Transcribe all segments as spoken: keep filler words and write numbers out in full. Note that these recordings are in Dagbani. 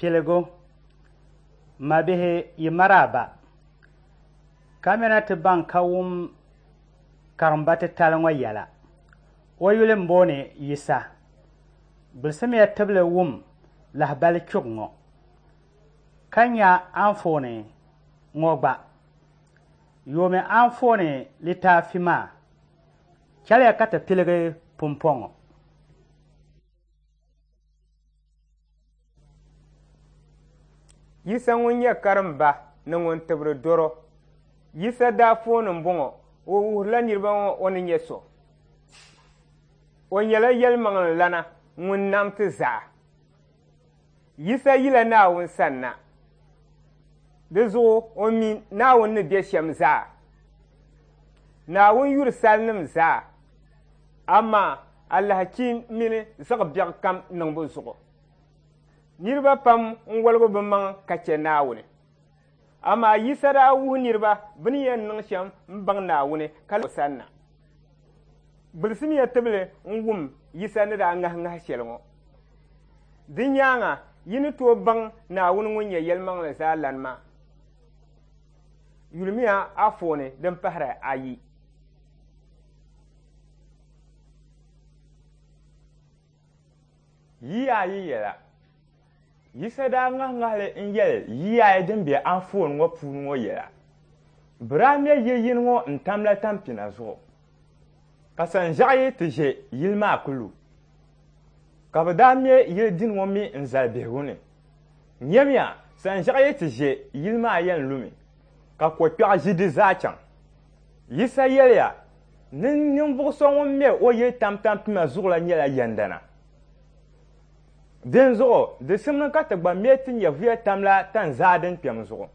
Piligu, mabihi yi maraba, kamina ti baŋ ka wum karimba titali ŋɔ yɛla. O yuli m-booni Yisa. Gbulisimiya tibili wum lahibali chuɣu ŋɔ, ka nya anfooni ŋɔ gba. Yoomi anfooni litaafi maa. Chɛliya ka ti piligi pumpɔŋɔ. Yisa ŋun nyɛ karimba ni ŋun tibiri dɔro. Yisa daa fooni m-bɔŋɔ, o wuhirila niriba ŋɔ o ni nyɛ so. O nyɛla yɛlimaŋlilana ŋun nam ti zaa. Yisa yila Naawuni sanna. Di zuɣu o mi Naawuni ni be shɛm zaa. Naawuni yuri salinim zaa, amaa alahichi mini zaɣ biɛɣu kam niŋbu zuɣu. Niriba pam n-woligi bɛ maŋ ka chɛ Naawuni. Amaa Yisa daa wuhi niriba bɛ ni yɛn niŋ shɛm m-baŋ Naawuni ka o sanna. Gbulisimiya tibili n-wum Yisa ni daa ŋahi ŋahi shɛli ŋɔ. Di nyaaŋa yi ni tooi baŋ Naawuni ŋun nyɛ yɛlimaŋli zaa lani maa. Yulimiya afooni din pahiri ayi. Yiya ayi yɛla. Yisa daa ŋahi ŋahili n-yɛli yiya ayi din be anfooni ŋɔ puuni ŋɔ yɛla. Bɛ daa me yili yini ŋɔ n-tamla tampina zuɣu, ka sanʒiɛɣu yi ti ʒe yili maa ku lu. Ka bɛ daa me yili dini ŋɔ mi n-zali bihigu ni. Nyamiya, sanʒiɛɣu yi ti ʒe yili maa yɛn lumi, ka kokpɛɣu ʒi di zaa chaŋ. Yisa yɛliya ni ninvuɣ so ŋun me o yili tam tampima zuɣu la nyɛla yɛndana. Dinzuɣu di simdi ka ti gba me ti nyɛvuya tamla tanzaa din kpɛm zuɣu,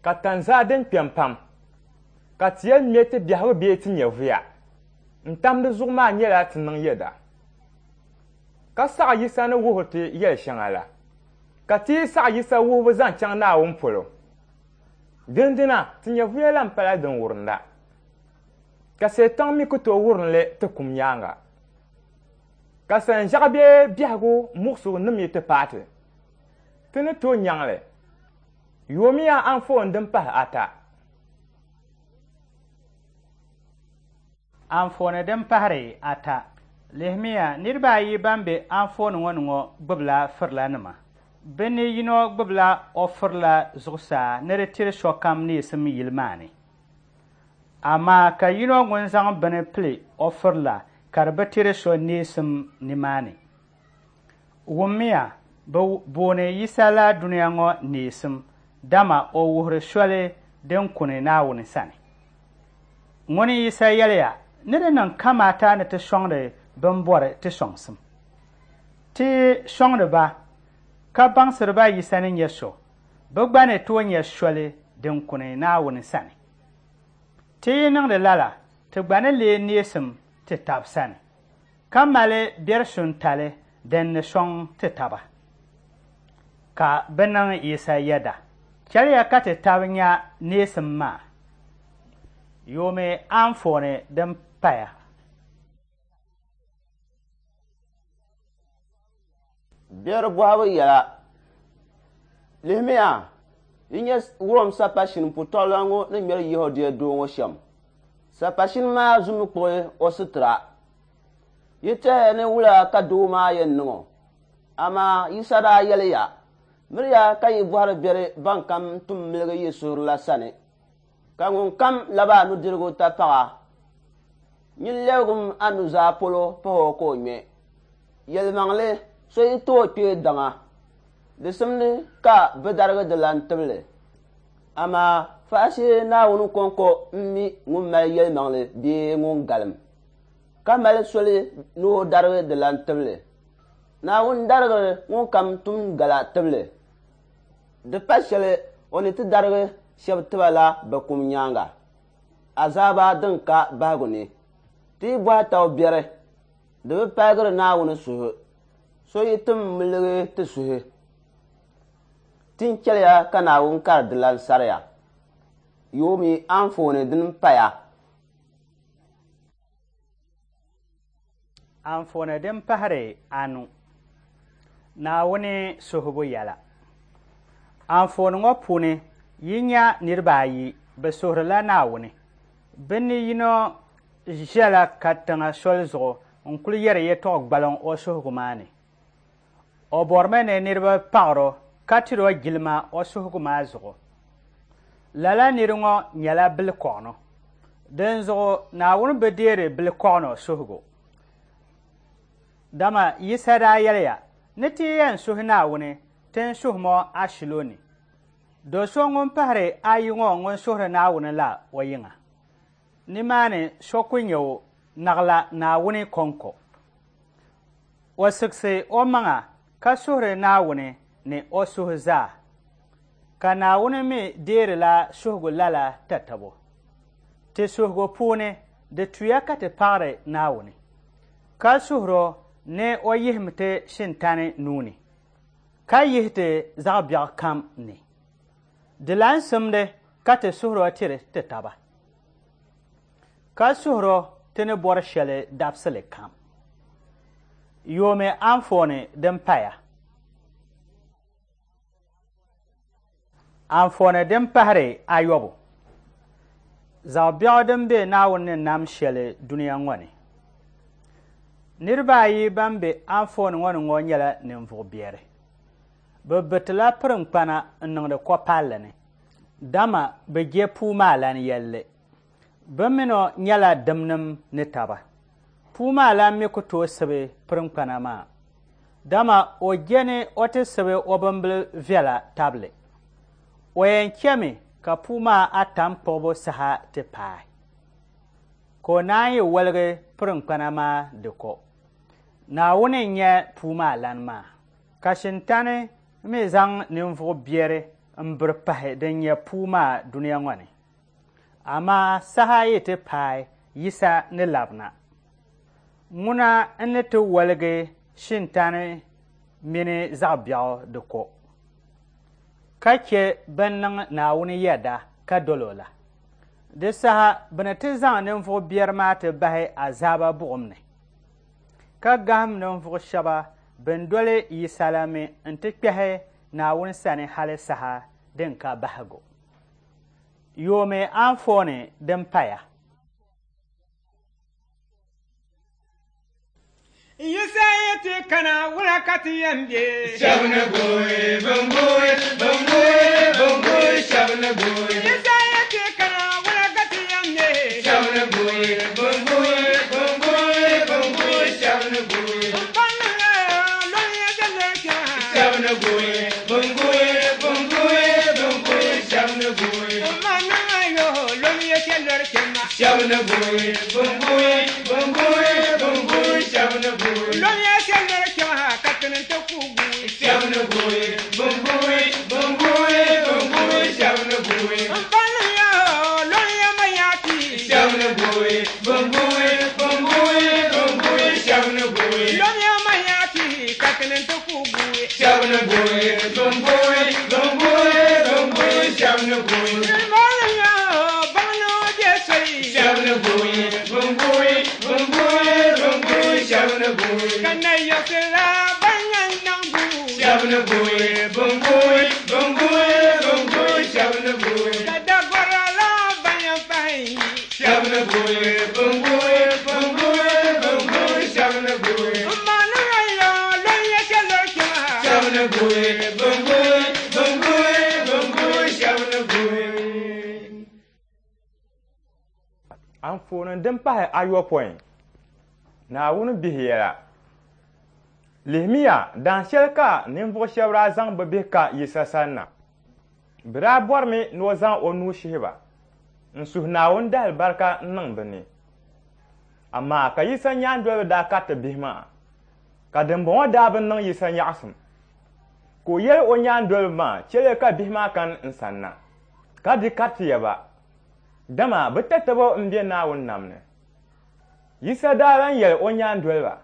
ka tanzaa din kpɛm pam, ka ti yɛn me ti biɛhigu bee ti nyɛvuya n-tam di zuɣu maa nyɛla ti niŋ yɛda. Ka saɣi Yisa ni wuhiri ti yɛli shɛŋa la, ka ti yi saɣi Yisa wuhibu zaŋ chaŋ Naawuni polo. Dindina ti nyɛvuya lan pala din wurinda, ka Seetaŋ mi ku tooi wurim li ti kum nyaaŋa. Ka sanʒiɛɣu bee biɛhigu muɣisigu nim yi ti paai ti, ti ni tooi nyaŋ li. Yoomiya anfooni din pahi ata. Anfooni din pahiri ata. Lihimiya niriba ayi ban be anfooni ŋɔ ni ŋɔ gbubila firilanima. Bɛ ni yino gbubila o firila zuɣusaa ni di tiri sokam neesim yili maa ni. Amaa ka yino ŋun zaŋ bini pili o firila ka di bi tiri so neesim nimaani. Wummiya, bɛ booni Yisa la dunia ŋɔ neesim, dama o wuhiri soli din kuni Naawuni sani. Ŋuni Yisa yɛliya ni di niŋ kamaata ni ti sɔŋdi bɛn bɔri ti sɔŋsim. Ti sɔŋdi ba ka baŋsiri ba Yisa ni nyɛ so, bɛ gba ni tooi nyɛ soli din kuni Naawuni sani. Ti yi niŋdi lala, ti gba ni leei neesim ti tab sani, ka mali biɛrisuntali din ni sɔŋ ti taba. Ka bɛ niŋ Yisa yɛda. Chɛliya ka ti tab nya neesim maa. Yoomi anfooni din paya. Biɛri bɔhibu yɛla. Lihimiya, yi nya Rom sapashini putɔɣulana ŋɔ ni ŋmɛri Yɛhudia doo ŋɔ shɛm. Sapashini maa zumi kpuɣi o sitira. Yi tɛhiya ni wula ka doo maa yɛn niŋ o? Amaa Yisa daa yɛliya, miriya ka yi bɔhiri biɛri ban kam tum miligi yi suhuri la sani, ka ŋun kam labi a nudirigu tapaɣa, nyin lɛbigim a nuzaa polo pahi o ka o ŋmɛ. Yɛlimaŋli, so yi tooi kpee daŋa, di simdi ka bɛ darigi di lan tibili. Amaa faashee Naawuni kɔŋko m-mi ŋun mali yɛlimaŋli bee ŋun galim, ka mali soli ni o darigi di lan tibili. Naawuni darigiri ŋun kam tum gala tibili. Di pa shɛli o ni ti darigi shɛba tiba la bɛ kum nyaaŋa, azaaba din ka bahigu ni. Ti yi bɔhi taba biɛri, di bi paligiri Naawuni suhu. So yi tim miligi ti suhi, tin chɛliya ka Naawuni kari di lan sariya. Yoomi anfooni din paya. Anfooni din pahiri anu. Naawuni suhubu yɛla. Anfooni ŋɔ puuni yi nya niriba ayi bɛ suhirila Naawuni. Bɛ ni yino ʒɛla katiŋa soli zuɣu n-kuli yɛri yɛtɔɣ gbaliŋ o suhigu maa ni. O bɔrimi ni niriba paɣiri o ka tiri o jilima o suhigu maa zuɣu. Lala niri ŋɔ nyɛla bilikɔɣino. Dinzuɣu Naawuni bi deeri bilikɔɣino suhigu. Dama Yisa daa yɛliya ni ti yɛn suhi Naawuni ti n suhimo ashilo ni. Do so ŋun pahiri ayi ŋɔ ŋun suhiri Naawuni la o yiŋa. Nimaani so ku nyɛ o naɣila Naawuni kɔŋko. O siɣisi o maŋa ka suhiri Naawuni ni o suhu zaa. Ka Naawuni mi deerila suhigu lala tatabo. Ti suhigu puuni di tuya ka ti paɣiri Naawuni. Ka suhiro ni o yihim ti shintani nuu ni. Ka yihi ti zaɣ biɛɣu kam ni. Di lan simdi ka ti suhiro tiri ti taba. Ka suhiro ti ni bɔri shɛli dabisili kam. Yoomi anfooni din paya. Anfooni din pahiri ayɔbu. Zaɣ biɛɣu din be Naawuni ni nam shɛli dunia ŋɔ ni. Niriba ayi ban be anfooni ŋɔ ni ŋɔ nyɛla ninvuɣ biɛri. Bɛ bitila pirinkpana n-niŋdi kɔpalli ni. Dama bɛ je puu maa lan yɛlli. Bɛ mini o nyɛla dimnim ni taba. Puu maa lan mi ku tooi sibi pirinkpana maa. Dama o je ni o ti sibi o bimbila viɛla tabili. O yɛn chɛmi ka puu maa atam kpuɣibu saha ti paai. Ka o naan yi woligi pirinkpana maa di ko. Naawuni n-nyɛ puu maa lan maa. Ka shintani mi zaŋ ninvuɣ biɛri m-biri pahi din nyɛ puu maa dunia ŋɔ ni. Amaa saha yi ti paai Yisa ni labina. Ŋuna n-ni ti woligi shintani mini zaɣ biɛɣu di ko. Ka chɛ bɛn niŋ Naawuni yɛda ka doli o la. Di saha bɛ ni ti zaŋ ninvuɣ biɛri maa ti bahi azaaba buɣim ni. Ka gahim ninvuɣ shɛba bɛn doli Yisa la mi nti kpɛhi Naawuni sani hali saha din ka bahigu. Yoomi anfooni din paya. Yisa yi ti kana wula ka ti yɛn be. Shɛba ni guui, bɛn guui, bɛn guui, bɛn guui, shɛba ni guui. Yisa yi ti kana wula ka ti yɛn be. Shɛba ni guui, bɛn guui, bɛn guui, bɛn guui, shɛba ni guui. N balli lɔn ya jɛlli kpɛma. Shɛba ni guui, bɛn guui, bɛn guui, bɛn guui, shɛba ni guui. N ma niŋ yo lɔn ya jɛlli kpɛma. Shɛba ni guui, bɛn guui, bɛn guui, bɛn guui, shɛba ni guui. Lɔn ya jɛlli kpɛma ka tini ti ku guui. Shɛba ni guui, bɛn guui, bɛn guui, bɛn guui, shɛba ni guui. N balli yo lɔn ya ma yaati. Shɛba ni guui, bɛn guui, bɛn guui, bɛn guui, shɛba ni guui. Lɔn ya ma yaati ka tini ti ku guui. Shɛba ni guui, bɛn guui, bɛn guui, bɛn guui, shɛba ni guui. N balli yo baŋ ni o bɛ soli. Shɛba ni guui, bɛn guui, bɛn guui, bɛn guui, shɛba ni guui. Ka na yiɣisira ban yɛn niŋ duu. Shɛba ni guui, bɛn guui, bɛn guui, bɛn guui, shɛba ni guui. Ka dagɔra la ban yɛn pahi yi. Shɛba ni guui, bɛn guui, bɛn guui, bɛn guui, shɛba ni guui. N ma niŋ yo lɔn ya jɛlli kpɛma. Shɛba ni guui, bɛn guui, bɛn guui, bɛn guui, shɛba ni guui. Anfooni din pahi ayopɔin. Naawuni bihi yɛla. Lihimiya daan shɛli ka ninvuɣ shɛba daa zaŋ bɛ bihi ka Yisa sani na. Bɛ daa bɔrimi ni o zaŋ o nuu shihi ba n-suhi Naawuni dalibarika n-niŋ bɛ ni. Amaa ka Yisa nyaandoliba daa kariti bihi maa, ka dimbɔŋɔ daa bi niŋ Yisa nyaɣisim. Ka o yɛli o nyaandoliba maa, chɛliya ka bihi maa kani n sani na, ka di karitiya ba, dama bɛ tatabo m-be Naawuni nam ni. Yisa daa lan yɛli o nyaandoliba,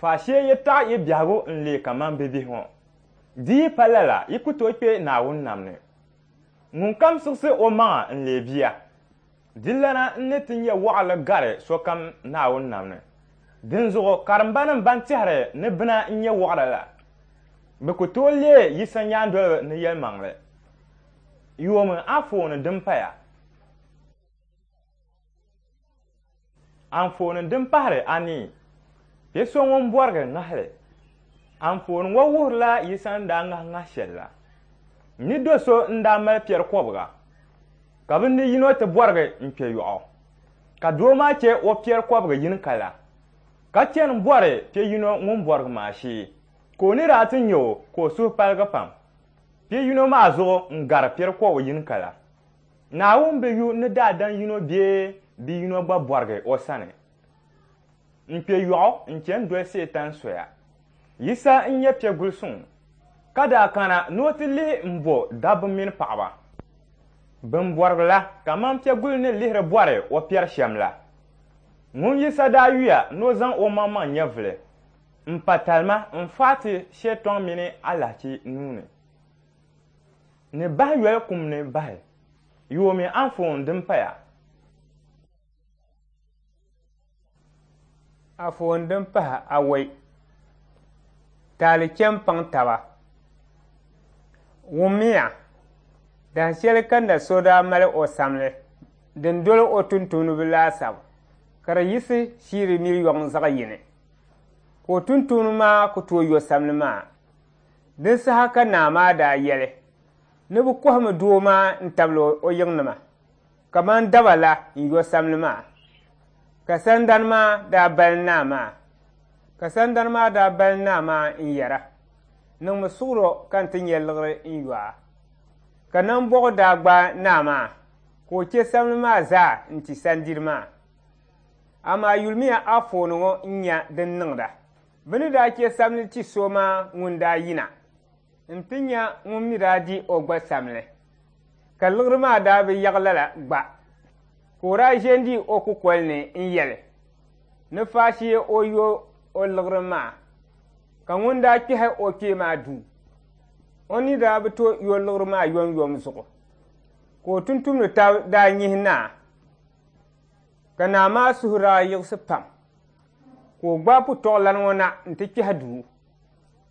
faashee yi taɣi yi biɛhigu n-leei kaman bibihi ŋɔ. Di yi pa lala, yi ku tooi kpe Naawuni nam ni. Ŋunkam siɣisi o maŋa n-leei bia, di lana n-ni ti nyɛ waɣili gari sokam Naawuni nam ni. Dinzuɣu karimbanim ban tɛhiri ni bina n-nyɛ waɣila la, bɛ ku tooi leei Yisa nyaandoliba ni yɛlimaŋli. Yoomi anfooni din paya. Anfooni din pahiri anii. Piɛ so ŋun bɔrigi ŋahili. Anfooni ŋɔ wuhirila Yisa ni daa ŋahi ŋahi shɛli la. Ni do so n-daa mali piɛri kɔbiga, ka bɛ ni yino ti bɔrigi n-kpe yɔɣu. Ka doo maa chɛ o piɛri kɔbiga yini kala, ka chani bɔri piɛ yino ŋun bɔrigi maa shee, ka o ni daa ti nya o ka o suhu paligi pam. Piɛ yino maa zuɣu n-gari piɛri kɔbiga yini kala. Naawuni bi yu ni daadam yino bee bi yino gba bɔrigi o sani. N-kpe yɔɣu n-chani doli Setan soya. Yisa n-nyɛ piɛgul suŋ, ka daa kana ni o ti lihi m-bo dabba mini paɣiba. Bɛn bɔrigi la kaman piɛgul ni lihiri bɔri o piɛri shɛm la. Ŋun Yisa daa yuya ni o zaŋ o maŋmaŋ nyɛvili m-pa talima n-faai ti Shetɔŋ mini alahichi nuu ni. Ni bahi yoli kum ni bahi. Yoomi anfooni din paya. Anfooni din pahi awɔi. Taali chɛ m-paŋ taba. Wummiya, dahinshɛli ka na so daa mali o samli din doli o tuntumdiba laasabu ka di yiɣisi shiiri miliyɔŋ zaɣ yini, ka o tuntumdi maa ku tooi yo samli maa. Din saha ka naa maa daa yɛli ni bɛ kɔhimi doo maa n-tabili o yiŋnima kaman daba la n-yo samli maa. Ka sandani maa daa bali naa maa. Ka sandani maa daa bali naa maa n-yɛra, niŋmi suɣuro ka n ti nya liɣiri n-yo a. Ka nambɔɣu daa gbaai naa maa ka o chɛ samli maa zaa n-ti sandiri maa. Amaa yulimiya anfooni ŋɔ n-nya din niŋda. Bɛ ni daa chɛ samli ti so maa ŋun daa yina nti nya ŋun mi daa di o gba samli. Ka liɣiri maa daa bi yaɣi lala gba. Ka o daa ʒe n-di o kukoli ni n-yɛli ni faashee o yo o liɣiri maa, ka ŋun daa kpɛhi o kpee maa duu. O ni daa bi tooi yo liɣiri maa yomyom zuɣu, ka o tuntumdi tab daa nyihi naa, ka naa maa suhu daa yiɣisi pam, ka o gbaai putɔɣulana ŋɔ na nti kpɛhi duu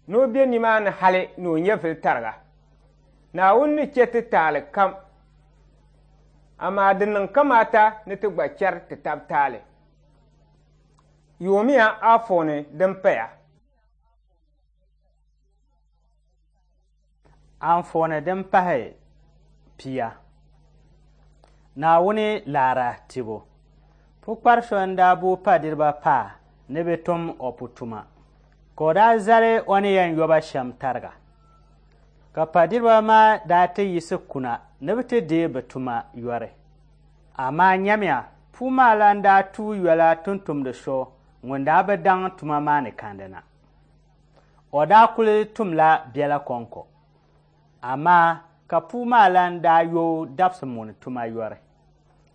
ni o be nimaani hali ni o nyɛvili tariga. Naawuni ni chɛ ti taali kam, amaa di niŋ kamaata ni ti gba chɛri ti tab taali. Yoomiya anfooni din paya. Anfooni din pahi pia. Naawuni laara tibu. Pukpari so n-daa booi padiriba paa ni bɛ tum o putuma, ka o daa zali o ni yɛn yoba shɛm tariga. Ka padiriba maa daa ti yiɣisi kuna ni bɛ ti deei bɛ tuma yɔri. Amaa nyamiya, puu maa la n-daa tuui yola tuntumdi so ŋun daa bi daŋ tuma maa ni kandi na. O daa kuli tumla biɛla kɔŋko. Amaa ka puu maa la n-daa yo dabisi muni tuma yɔri.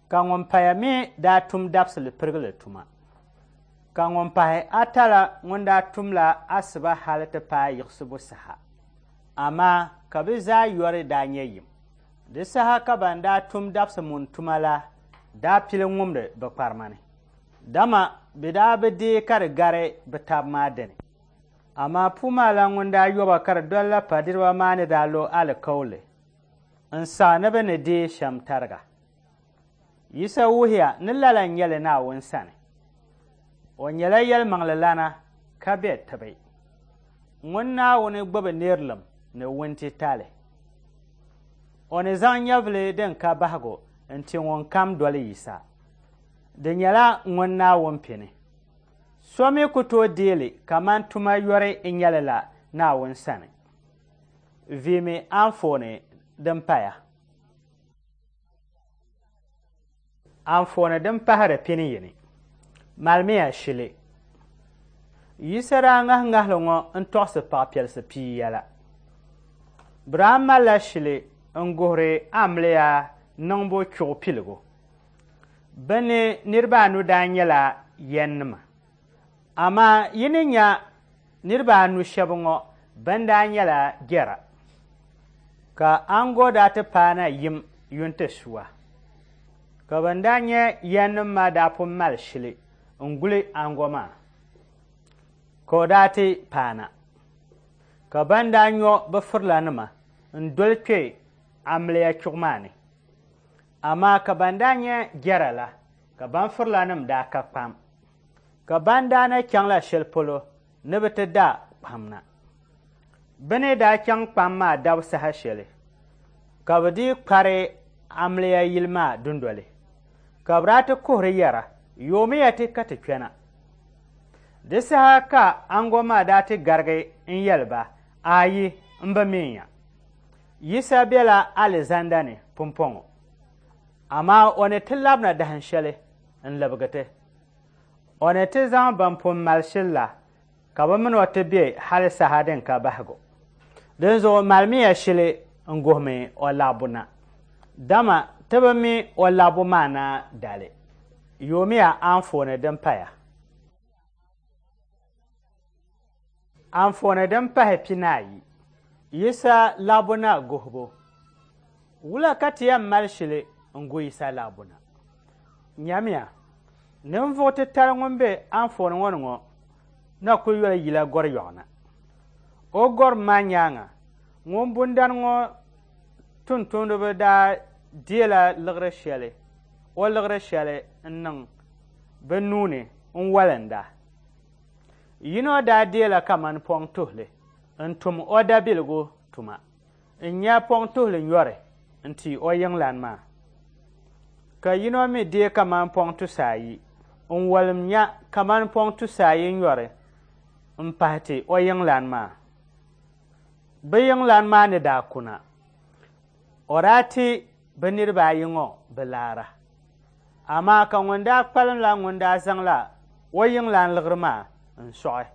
Ka ŋun paya mi daa tum dabisili pirigili tuma. Ka ŋun pahi ata la ŋun daa tumla asiba hali ti paai yiɣisibu saha. Amaa ka bɛ zaa yɔri daa nyɛ yim. Di saha ka ban daa tum dabisi muni tuma la daa pili ŋumdi bɛ kparima ni. Dama bɛ daa bi deei ka di gari bɛ taba maa dini. Amaa puu maa la ŋun daa yoba ka di dolila padiriba maa ni daa lo alikauli n-saɣi ni bɛ ni deei shɛm tariga. Yisa wuhiya ni lala n-nyɛ li Naawuni sani. O nyɛla yɛlimaŋlilana ka be tibi. Ŋun Naawuni gbubi nirilim ni wuntitali. O ni zaŋ nyɛvili din ka bahigu n-ti ŋun kam doli Yisa. Di nyɛla ŋun Naawuni pini. So mi ku tooi deei li kaman tuma yɔri n-nyɛ li la Naawuni sani. Viimi anfooni din paya. Anfooni din pahiri pini yini. Malimiya shili. Yisa daa ŋahi ŋahili ŋɔ n-tɔɣisi paɣapiɛlisi pia yɛla. Bɛ daa malila shili n-guhiri amiliya niŋbu chuɣu piligu. Bɛ ni niriba anu daa nyɛla yɛnnima. Amaa yi ni nya niriba anu shɛba ŋɔ bɛn daa nyɛla jɛra. Ka aŋgo daa ti paana yim yuntisuwa. Ka bɛn daa nyɛ yɛnnima maa daa pun mali shili n-guli aŋgo maa. Ka o daa ti paana. Ka ban daa nyɔ bɛ firilanima n-doli kpe amiliya chuɣu maa ni. Amaa ka ban daa nyɛ jɛra la, ka ban firilanim daa ka kpam. Ka ban daa na chaŋla shɛli polo ni bɛ ti da kpam na. Bɛ ni daa chaŋ kpam maa dabu saha shɛli, ka bɛ dii kpari amiliya yili maa dundoli. Ka bɛ daa ti kuhiri yɛra, yoomiya ti ka ti kpɛna. Di saha ka ango maa daa ti garigi n-yɛli ba, ayi, m bi minya. Yisa bela alizanda ni pumpɔŋɔ. Amaa o ni ti labina dahin shɛli n-libigi ti. O ni ti zaŋ ban pun mali shili la ka bɛ mini o ti be hali saha din ka bahigu. Dinzuɣu malimiya shili n-guhimi o labbu na. Dama ti bi mi o labbu maa na dali. Yoomiya anfooni din paya. Anfooni din pahi pinaayi. Yisa labbu na guhibu. Wula ka ti yɛn mali shili n-gu Yisa labbu na? Nyamiya, ninvuɣ titali ŋun be anfooni ŋɔ ni ŋɔ na kuli yoli yila gɔri yɔɣu na. O gɔrim maa nyaaŋa, ŋun bundani ŋɔ tuntumdiba daa deela liɣiri shɛli, o liɣiri shɛli n-niŋ bɛ nuu ni n-walinda. Yino daa deela kamani pɔŋ tuhili n-tum o dabiligu tuma, n-nya pɔŋ tuhili nyɔri n-ti o yiŋlan maa. Ka yino mi dee kamani pɔŋ tusaayi, n-walim nya kamani pɔŋ tusaayi nyɔri m-pahi ti o yiŋlan maa. Bɛ yiŋlan maa ni daa kuna, o daa ti bɛ niriba ayi ŋɔ bɛ laara. Amaa ka ŋun daa kpalim la ŋun daa zaŋla o yiŋlan liɣiri maa n-sɔɣi,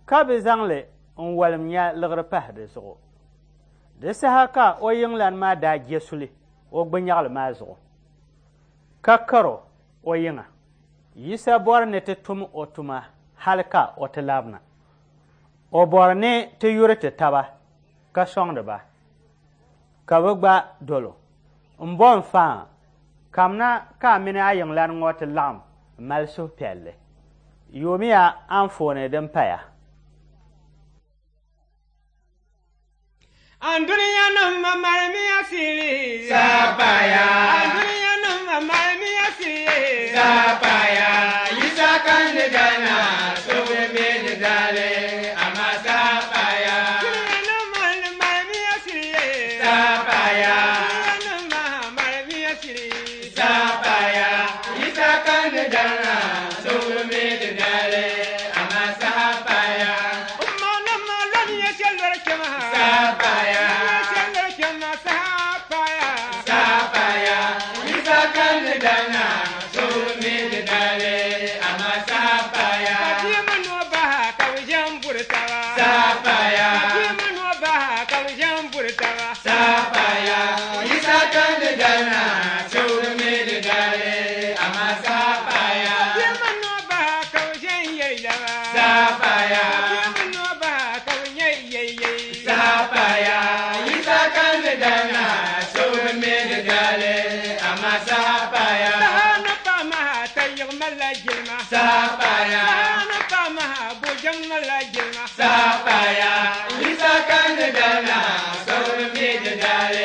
ka bɛ zaŋ li n-walim nya liɣiri pahi di zuɣu. Di saha ka o yiŋlan maa daa je suli o gbunyaɣili maa zuɣu, ka karo o yiŋa. Yisa bɔri ni ti tum o tuma hali ka o ti labina. O bɔri ni ti yuri ti taba ka sɔŋdi ba, ka bɛ gba dolo. M bo n faa, kamina ka a mini a yiŋlan ŋɔ ti laɣim mali suhupiɛlli. Yoomiya anfooni din paya. An duniya nim malimiya sili. Sapaya. An duniya nim malimiya sili. Sapaya. Yisa kan ni dana, so bi mi ni dali, ama sapaya. Duniya nim malimiya sili. Sapaya. Duniya nim malimiya sili. Sapaya. Yisa kan ni dana, so bi mi ni dali, ama sapaya. Umma nim loniya shɛlɔri kɛma. Sapaya. Shɛlɔri kɛma sapaya. Sapaya. Yisa kan ni dana, so bi mi ni dali, ama sapaya. Ka bia mini o ba ka bɛ ʒe m-buri taba. Sapaya. Ka bia mini o ba ka bɛ ʒe m-buri taba. Sapaya. Yisa kan ni dana, so bi mi ni dali, ama sapaya. Bia mini o ba ka bɛ ʒe n-yɛli yaba. Sapaya. Bia mini o ba ka bɛ nyɛ yɛyɛi. Sapaya. Yisa kan ni dana, so bi mi ni dali, ama sapaya. Saha ni paɣa maha ta yiɣi malila jilima. Sapaya. Saha ni paɣa maha bojaŋ malila jilima. Sapaya. Yisa kan ni dana, so bi mi ni dali,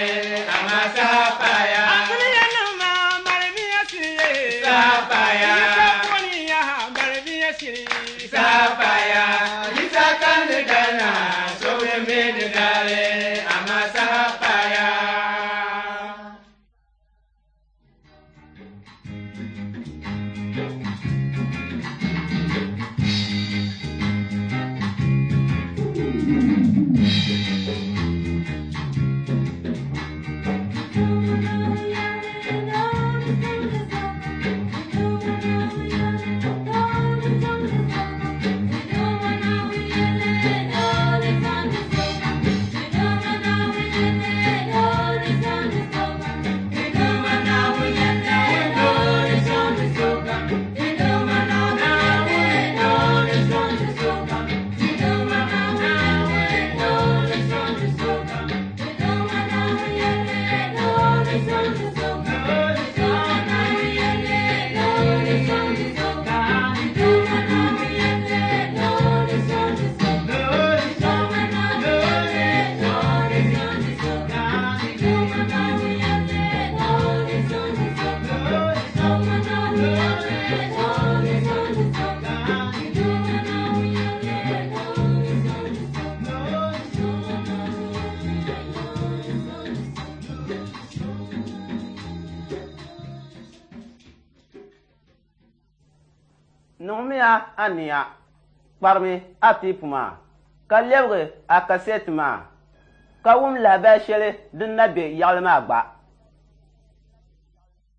Niŋmiya aniya, kparimi a teepu maa, ka lɛbigi a kasɛti maa, ka wum lahabali shɛli din na be yaɣili maa gba.